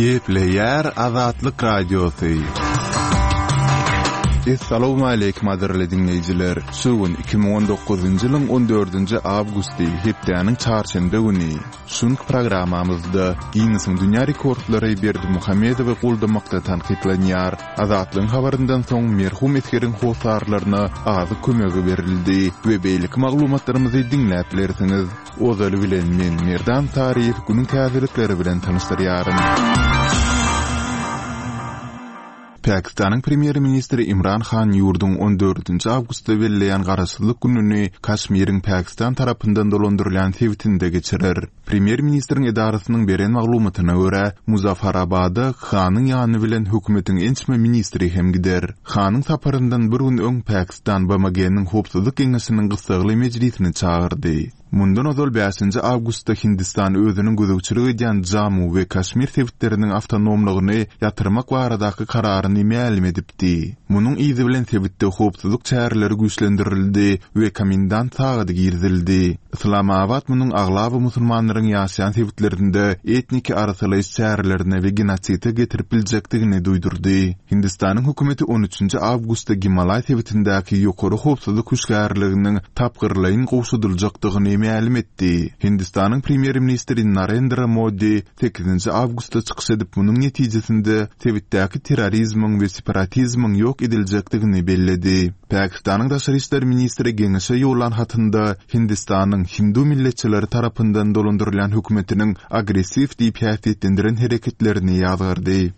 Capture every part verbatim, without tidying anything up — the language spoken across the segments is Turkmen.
Gepleýär Azatlyk Radiosy. Essalawmaleýkim gadyrly diňleýjiler! Şu gün iki müň on dokuzynjy ýylyň on dördünji awgusty, hepdäniň çarşenbe güni. Şu günki programmamyzda Ginnesiň dünýä rekordlary Berdimuhamedowy goldamakda tankytlanýar. Azatlygyň habaryndan soň merhum esgeriň hossarlaryna azyk kömegi berildi we beýleki maglumatlarymyzy diňläp bilersiňiz. Ozaly bilen men Merdan Saryýew günüň täzelikleri bilen tanyşdyrýaryn. Pakistanyň premýer-ministri Imran Han ýurduň on dördünji awgustda belleýän garaşsyzlyk gününi Kaşmiriň Pakistan tarapyndan dolandyrylýan sebitinde geçirer. Premýer-ministriň edarasynyň beren maglumatyna görä, Muzaffarabada Hanyň ýany bilen hökümetiň ençeme ministri hem gider. Hanyň saparyndan bir gün öň Pakistan B M G-niň Howpsuzlyk Geňeşiniň gyssagly mejlisini çagyrdy. Mundan ozal bäşinji awgustda Hindistan özüniň gözegçilik edýän Jammu we Kaşmir sebitleriniň awtonomlygyny ýatyrmak baradaky kararyny mälim edipdi. Munuň yzy bilen sebitde howpsuzlyk çäreleri güýçlendirildi we komendant sagady girizildi. Islamabad munuň aglaba musulmanlaryň ýaşaýan sebitlerinde etniki arasalaýyş çärelerine we genoside getirip biljekdigini duýdurdy. Hindistanyň hökümeti on üçünji awgustda Gimalaý sebitindäki ýokary howpsuzlyk hüşgärliginiň tapgyrlaýyn gowşadyljakdygyny mälim etdi. Hindistanyň premýer-ministri Narendra Modi sekizinji awgustda çykyş edip munuň netijesinde sebitdäki terrorizmiň we separatizmiň ýok ediljekdigini belledi. Pakistanyň daşary işler ministri geňeşe ýollan hatynda Hindistanyň hindu milletçileri tarapyndan dolandyrylýan hökümetiniň agressiw diýip häsiýetlendiren hereketlerini ýazgardy.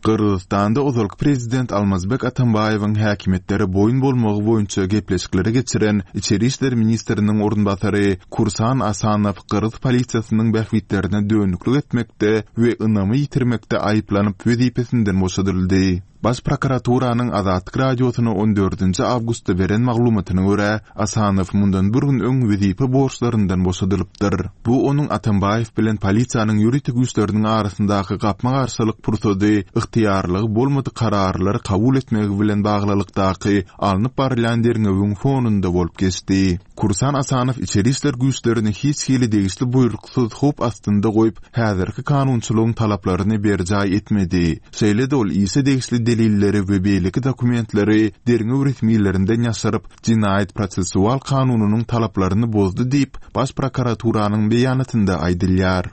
Gyrgyzystanda ozalky prezident Almazbek Atambaýewiň häkimiýetlere boýun bolmagy boýunça gepleşikleri geçiren Içeri işler ministriniň orunbasary Kursan Asanow Gyrgyz polisiýasynyň bähbitlerine dönüklik etmekde we ynamy ýitirmekde aýyplanyp wezipesinden boşadyldy. Baş prokuraturanyň Azatlyk radiosyna on dördünji awgustda beren maglumatyna görä, Asanow mundan bir gün öň wezipe borçlaryndan boşadylypdyr. Bu onuň Atambaýew bilen polisiýanyň ýörite güýçleriniň arasyndaky gapma-garşylyk pursady ygtyýarlygy bolmadyk kararlary kabul etmegi bilen baglylykdaky alnyp barylýan derňewiň fonunda bolup geçdi. Kursan Asanow içeri işler güýçlerini hiç hili degişli buýruksyz howp astynda goýup, häzirki kanunçylygyň talaplaryny berjaý etmedi. Şeýle-de ol işe degişli delilleri we beýleki dokumentleri derňew resmilerinden ýaşyryp, jinaýat prosessual kanunynyň talaplaryny bozdy diýip, baş prokuraturanyň beýanatynda aýdylýar.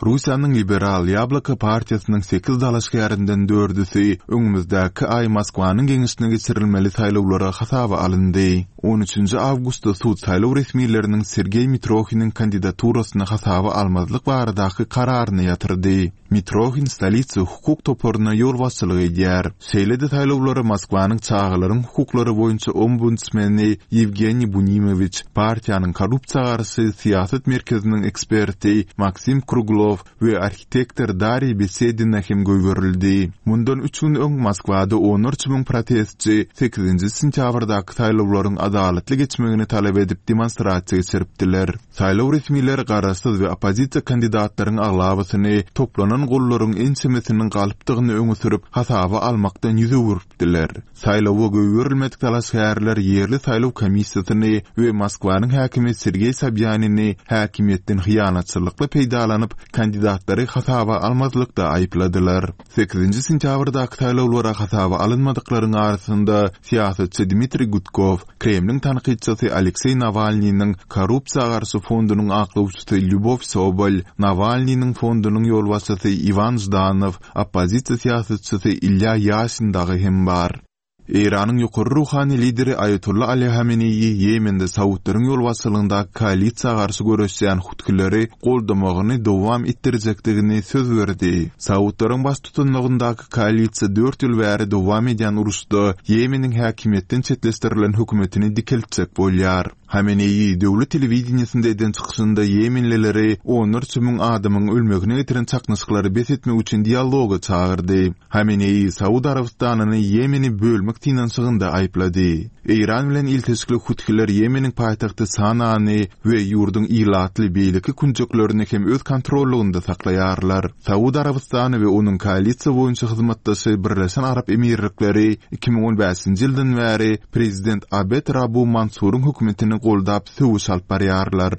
Russiýanyň Liberal Ýabloko partiýasynyň sekiz dalaşgärinden dördüsi öňümizdäki aý Moskwanyň geňeşine geçirilmeli saýlawlara hasaba alyndy. on üçünji awgustda sud saýlaw resmileriniň Sergeý Mitrohiniň kandidaturasyny hasaba almazlyk baradaky kararyny ýatyrdy. Mitrohin stolitsa hukuk toparyna ýolbaşçylyk edýär. Şeýle-de saýlawlara Moskwanyň çagalaryň hukuklary boýunça ombudsmeni Ýewgeniý Bunimowiç, partiýanyň korrupsiýa garşy syýasat merkeziniň eksperti Maksim Kruglow we arhitektor Dariý Besedina hem goýberildi. Mundan üç gün öň Moskwada onlarça müň protestçi sekizinji sentýabrdaky saýlawlaryň adalatly geçmegini talap edip demonstrasiýa geçiripdiler. Saýlaw resmileri garaşsyz we oppozisiýa kandidatlaryň aglabasyny toplanan gollaryň ençemesiniň galypdygyny öňe sürüp hasaba almakdan ýüz öwüripdiler. Saýlawa goýberilmedik dalaşgärler ýerli saýlaw komissiýasyny we Moskwanyň häkimi Sergeý Sobýanini häkimiýetden hyýanatçylykly peýdalanyp kandidatlary hasaba almazlykda aýypladylar. Sekizinji sentýabrdaky saýlawlara hasaba alynmadyklaryň arasynda syýasatçy Dmitriý Gudkow, Kremliň tankytçysy Alekseý Nawalnynyň korrupsiýa garşy fondunyň aklawçysy Lýubow Sobol, Nawalnynyň fondunyň ýolbaşçysy Iwan Ždanow, oppozisiýa syýasatçysy Ilýa Ýaşin dagy hem bar. Eýranyň ýokary ruhany lideri Aýatolla Ali Hameneýi Ýemende Saudlaryň ýolbaşçylygyndaky koalisiýa garşy göreşýän hutkileri goldamagyny dowam etdirjekdigini söz berdi. Saudlaryň baş tutunlygyndaky koalisiýa dört ýyl bäri dowam edýän uruşda Ýemeniň häkimiýetden çetleşdirilen hökümetini dikeltjek bolýar. Hameneýi döwlet telewideniýesinde eden çykyşynda Ýemenlileri onlarça müň adamyň ölmegine getiren çaknyşyklary bes etmek üçin dialoga çagyrdy. Hameneýi Saud Arabystanyny Ýemeni bölmek synanyşygynda aýyplady. Eýran bilen ilteşikli hutkiler Ýemeniň paýtagty Sanany we ýurduň ilatly beýleki künjeklerini hem öz kontrollygynda saklaýarlar. Saud Arabystany we onuň koalisiýa boýunça hyzmatdaşy Birleşen Arap Emirlikleri iki müň on bäşinji ýyldan bäri prezident Abed Rabu Mansuryň hökümetini goldap söweş alyp barýarlar.